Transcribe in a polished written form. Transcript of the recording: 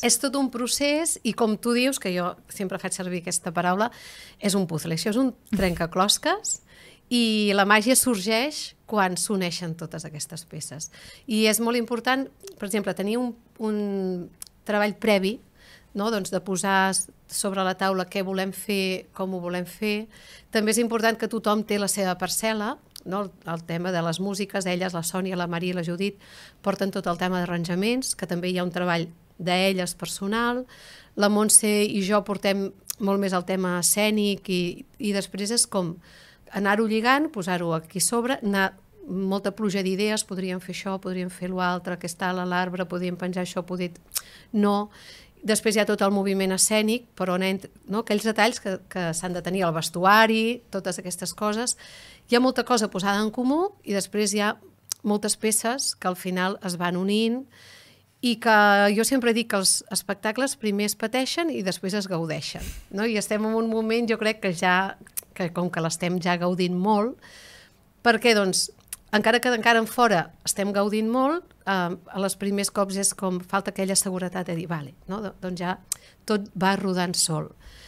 És tot un procés i com tu dius, que jo sempre faig servir aquesta paraula, és un puzzle. Això és un trencaclosques i la màgia sorgeix quan s'uneixen totes aquestes peces. I és molt important, per exemple, tenir un treball previ, no? Doncs de posar sobre la taula què volem fer, com ho volem fer. També és important que tothom té la seva parcel·la, no? El tema de les músiques, elles, la Sònia, la Maria i la Judit, porten tot el tema d'arranjaments, que també hi ha un treball d'elles personal, la Montse i jo portem molt més el tema escènic i després és com anar-ho lligant, posar-ho aquí sobre, anar molta pluja d'idees, podríem fer això, podríem fer l'altre, que està a l'arbre, podríem penjar això, no. Després hi ha tot el moviment escènic, però no? Aquells detalls que s'han de tenir, el vestuari, totes aquestes coses. Hi ha molta cosa posada en comú i després hi ha moltes peces que al final es van unint i que jo sempre dic que els espectacles primer es pateixen i després es gaudeixen, no? I estem en un moment, jo crec que ja, que com que l'estem ja gaudint molt, perquè doncs, encara que encara en fora estem gaudint molt, a les primers cops és com falta aquella seguretat de dir, vale, no? Doncs ja tot va rodant sol.